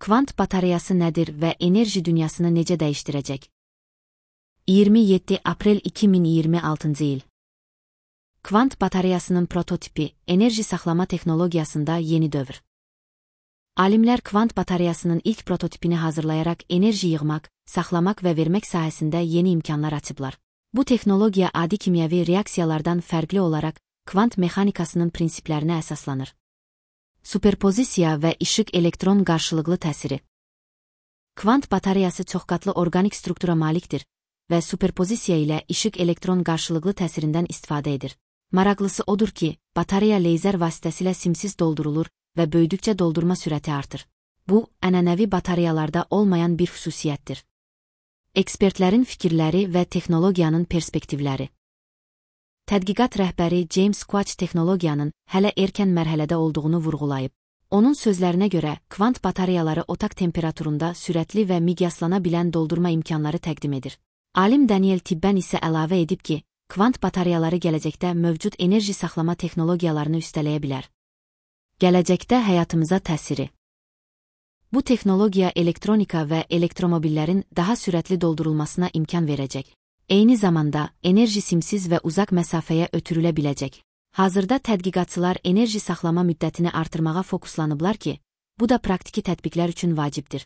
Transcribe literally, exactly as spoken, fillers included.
Kvant batareyası nədir və enerji dünyasını necə dəyişdirəcək? iyirmi yeddi aprel iki min iyirmi altıncı il. Kvant batareyasının prototipi, enerji saxlama texnologiyasında yeni dövr. Alimlər kvant batareyasının ilk prototipini hazırlayaraq enerji yığmaq, saxlamaq və vermək sahəsində yeni imkanlar açıblar. Bu texnologiya adi kimyəvi reaksiyalardan fərqli olaraq kvant mexanikasının prinsiplərinə əsaslanır. Superpozisiya və işıq-elektron qarşılıqlı təsiri. Kvant batareyası çoxqatlı orqanik struktura malikdir və superpozisiya ilə işıq-elektron qarşılıqlı təsirindən istifadə edir. Maraqlısı odur ki, batareya leyzer vasitəsilə simsiz doldurulur və böyüdükcə doldurma sürəti artır. Bu, ənənəvi batareyalarda olmayan bir xüsusiyyətdir. Ekspertlərin fikirləri və texnologiyanın perspektivləri. Tədqiqat rəhbəri James Quach texnologiyanın hələ erkən mərhələdə olduğunu vurğulayıb. Onun sözlərinə görə, kvant batareyaları otaq temperaturunda sürətli və miqyaslana bilən doldurma imkanları təqdim edir. Alim Daniel Tibben isə əlavə edib ki, kvant batareyaları gələcəkdə mövcud enerji saxlama texnologiyalarını üstələyə bilər. Gələcəkdə həyatımıza təsiri. Bu texnologiya elektronika və elektromobillərin daha sürətli doldurulmasına imkan verəcək. Eyni zamanda, enerji simsiz və uzaq məsafəyə ötürülə biləcək. Hazırda tədqiqatçılar enerji saxlama müddətini artırmağa fokuslanıblar ki, bu da praktiki tətbiqlər üçün vacibdir.